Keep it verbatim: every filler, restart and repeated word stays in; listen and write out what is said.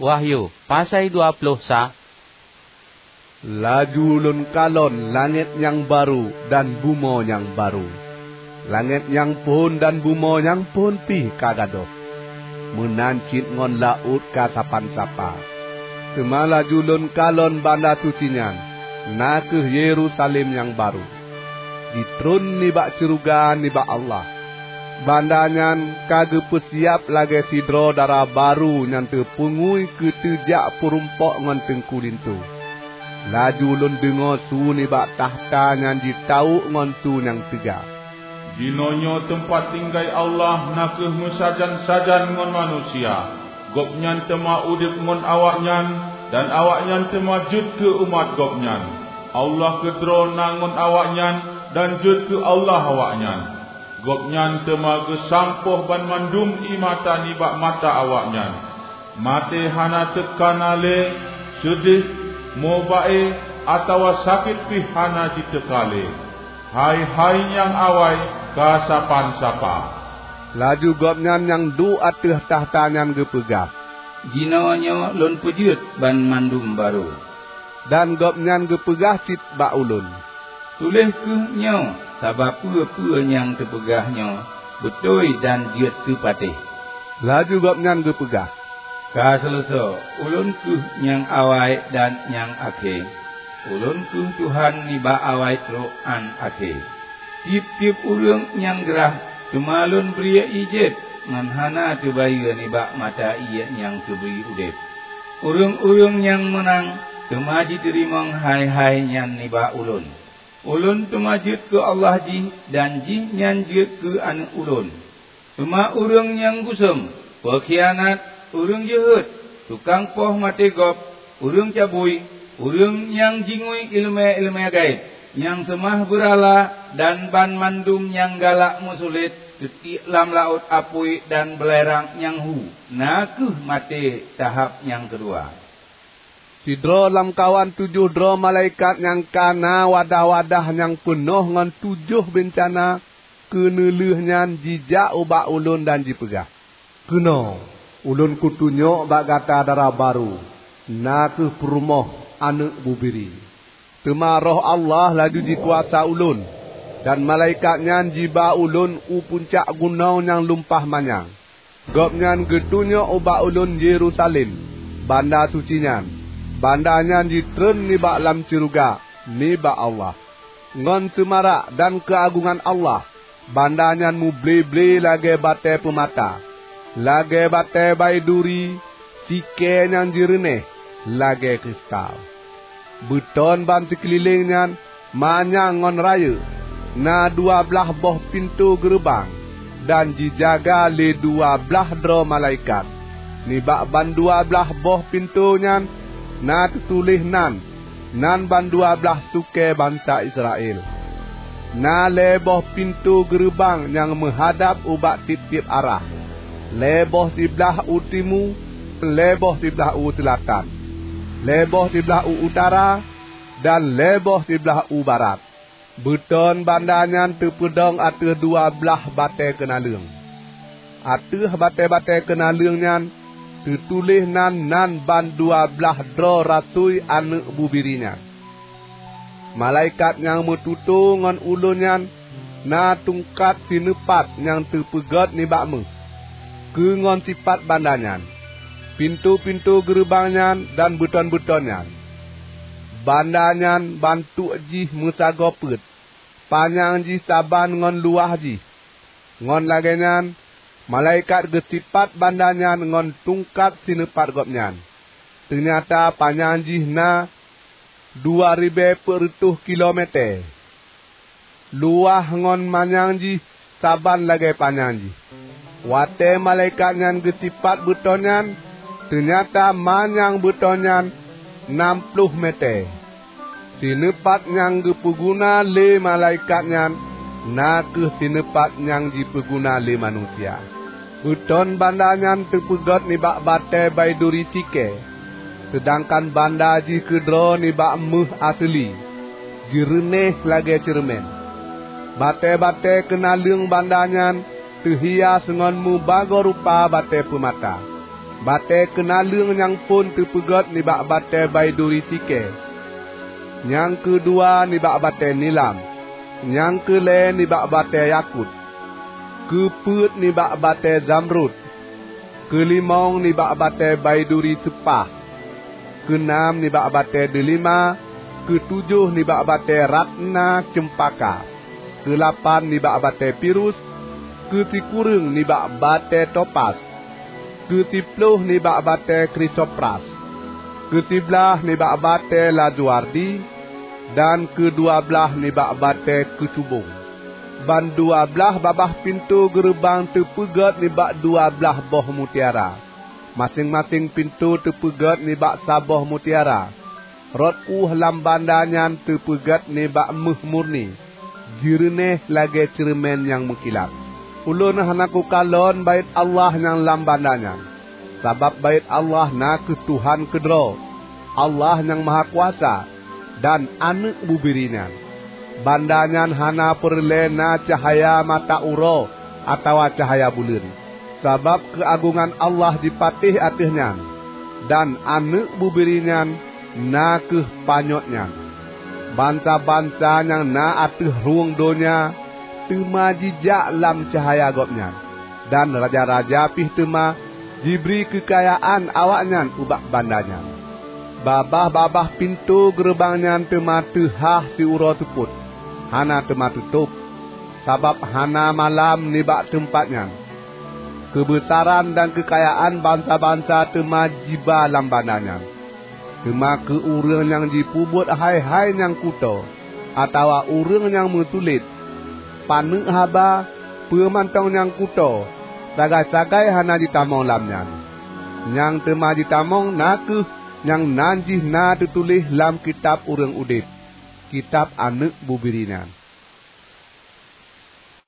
Wahyu, pasai dua ploh sa. Laju lôn kalon langét nyang barô dan bumoe nyang barô. Langét nyang phon dan bumoe nyang phon pih ka gadôh, meunan cit ngon laôt ka sapan sapa. Teuma laju lôn kalon banda suci nyan, na kheueh Yerusalem nyang barô, jitreun nibak syeuruga nibak Allah. Banda nyan ka geupeusiab lagée sidroe dara barô nyang teupeungui keu teujak peurumpok ngon teungku linto. Laju lôn deungoe su nibak takhta nyan jitawök ngon su nyang teuga, "Jinoenyoe teumpat tinggai Allah na kheueh meusajan-sajan ngon manusia. Gobnyan teuma udeb ngon awaknyan, dan awaknyan teuma jeuet keu umat Gobnyan. Allah keudroe na ngon awaknyan, dan jeuet keu Allah awaknyan. Gobnyan teuma geusampôh banmandum ié mata nibak mata awaknyan. Maté hana teuka na lé, seudeh, mubaé, atawa sakét pih hana jiteuka lé. Hai-hai nyang awai ka sapan sapa." Laju Gobnyan nyang duek ateueh takhta nyan geupeugah, "Jinoenyoe lôn peujeuet banmandum barô." Dan Gobnyan geupeugah cit bak ulôn, "Tuléh kheueh nyoe, sabab peue-peue nyang teupeugah nyoe beutôi dan jeuet keu patéh." Laju Gobnyan geupeugah, "Ka seuleusoe, ulôn kheueh nyang awai dan nyang akhé. Ulôn kheueh Tuhan nibak awai trok án akhé. Tieb-tieb ureuëng nyang grah, teuma lôn bri ié jieb ngon hana teubayeue nibak mata ié nyang teubri udeb. Ureuëng-ureuëng nyang meunang teuma jiteurimong hai-hai nyan nibak ulôn. Ulôn teuma jeuet keu Allah jih, dan jihnyan jeuet keu aneuëk ulôn. Teuma ureuëng nyang guseuem, peukhianat, ureuëng jeuhet, tukang poh maté gob, ureuëng cabui, ureuëng nyang jingui iéleumé-iéleumé gaéb, nyang seumah beurala, dan banmandum nyang galak meusulet teutiek lam laôt apui dan beulerang nyang hu, na kheueh maté tahab nyang keudua." Sidroe lamkawan tujoh droe malaikat nyang ka na wadah-wadah nyang peunoh ngon tujoh beuncana keuneulheueh nyan jijak ubak ulôn dan jipeugah, "Keunoe, ulôn kutunyok bak gata dara barô, na kheueh peurumoh Aneuëk Bubiri." Teuma Roh Allah laju jikuasa ulôn, dan malaikat nyan jiba ulôn u puncak gunong nyang lumpah manyang. Gobnyan geutunyok ubak ulôn Yerusalem, banda suci nyan. Banda nyan jitreun nibak lam syeuruga nibak Allah. Ngon seumarak dan keuagongan Allah, banda nyan muble-ble lagée batée peumata, lagée batée baiduri, sikée nyang jireuneh lagée kristal. Beuton ban sikeulileng nyan manyang ngon rayeuk, na dua blaih boh pintoe geureubang, dan jijaga lé dua blaih droe malaikat. Nibak bandua blaih boh pintoe nyan na teutuléh nan, nan bandua blaih sukée bansa Israel. Na lhée boh pintoe geureubang nyang meuhadab ubak tieb-tieb arah, lhée boh siblaih u timu, lhée boh siblaih u seulatan, lhée boh siblaih u utara, dan lhée boh siblaih u barat. Beuton banda nyan teupeudong ateueh dua blaih batée keunaleueng. Ateueh batée-batée keunaleueng nyan teutuléh nan, nan bandua blaih droe rasui Aneuëk Bubiri nyan. Malaikat nyang meututoe ngon ulôn nyan na tungkat sineupat nyang teupeugét nibak méuh, keu ngon sipat banda nyan, pintoe-pintoe geureubang nyan dan beuton-beuton nyan. Banda nyan bantuk jih meusagoe peuet, panyang jih saban ngon luwah jih. Ngon lagée nyan, malaikat geusipat banda nyan ngon tungkat sineupat gobnyan. Teunyata panyang jih na dua ribée peuet reutôh kilomète. Luwah ngon manyang jih saban lagée panyang jih. Watée malaikat nyan geusipat beuton nyan, teunyata manyang beuton nyan nam ploh mète. Sineupat nyang geupeuguna lé malaikat nyan na kheueh sineupat nyang jipeuguna lé manusia. Beuton banda nyan teupeugét nibak batée baiduri sikée, seudangkan banda jih keudroe nibak méuh aseuli, jireuneh lagée ceureumen. Batée-batée keunaleueng banda nyan teuhias ngon mubagoe rupa batée peumata. Batée keunaleueng nyang phon teupeugét nibak batée baiduri sikée, nyang keudua nibak batée nilam, nyang keulhée nibak batée yakut, keupeuet nibak batée zamrud, keulimong nibak batée baiduri seupah, keunam nibak batée deulima, keutujoh nibak batée ratna ceumpaka, keulapan nibak batée pirus, keusikureueng nibak batée topas, keusiploh nibak batée krisopras, keusiblaih nibak batée lazuardi, dan keudua blaih nibak batée keucubong. Bandua blaih babah pintoe geureubang teupeugét nibak dua blaih boh mutiara. Maséng-maséng pintoe teupeugét nibak saboh mutiara. Rot ueh lam banda nyan teupeugét nibak méuh murni, jeureunéh lagée ceureumen nyang meukilat. Ulôn hana kukalon Baét Allah nyang lam banda nyan, sabab Baét Allah na kheueh Tuhan keudroe, Allah Nyang Mahakuasa, dan Aneuëk Bubiri nyan. Banda nyan hana peureulée na cahya mata uroe atawa cahya buleuen, sabab keuagongan Allah jipatéh ateueh nyan, dan Aneuëk Bubiri nyan na kheueh panyöt nyan. Bansa-bansa nyang na ateueh rhueng donya teuma jijak lam cahya Gobnyan, dan raja-raja pih teuma jibri keukayaan awaknyan ubak banda nyan. Babah-babah pintoe geureubang nyan teuma teuhah siuroe seupôt, hana teuma teutôb, sabab hana malam nibak teumpat nyan. Keubeusaran dan keukayaan bansa-bansa teuma jiba lam banda nyan. Teuma keu ureuëng nyang jipeubuet hai-hai nyang kutoe, atawa ureuëng nyang meutuléh, paneuk haba, peue mantong nyang kutoe, sagai-sagai hana jitamong lam nyan. Nyang teuma jitamong na kheueh nyang nan jih na teutuléh lam kitab ureuëng udeb, kitab Aneuëk Bubiri nyan.